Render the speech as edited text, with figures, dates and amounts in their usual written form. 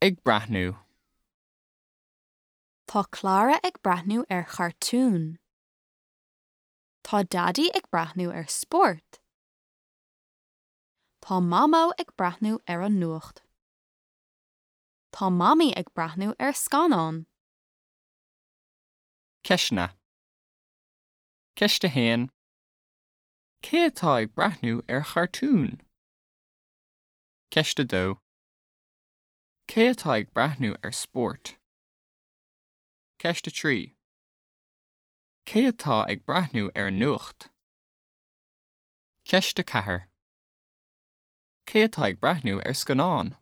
Ag breathnú. Tá Clara ag breathnú ar chartún. Tá Daidí ag breathnú ar spórt. Tá Mamó ag breathnú ar an nuacht. Tá Mamaí ag breathnú ar scannán. Ceisteanna. Ceist 1. Cé atá ag breathnú ar chartún? Ceist 2. Cé atá ag breathnú ar spórt? Ceist 3. Cé atá ag breathnú ar an nuacht? Ceist 4. Cé atá ag breathnú ar scannán?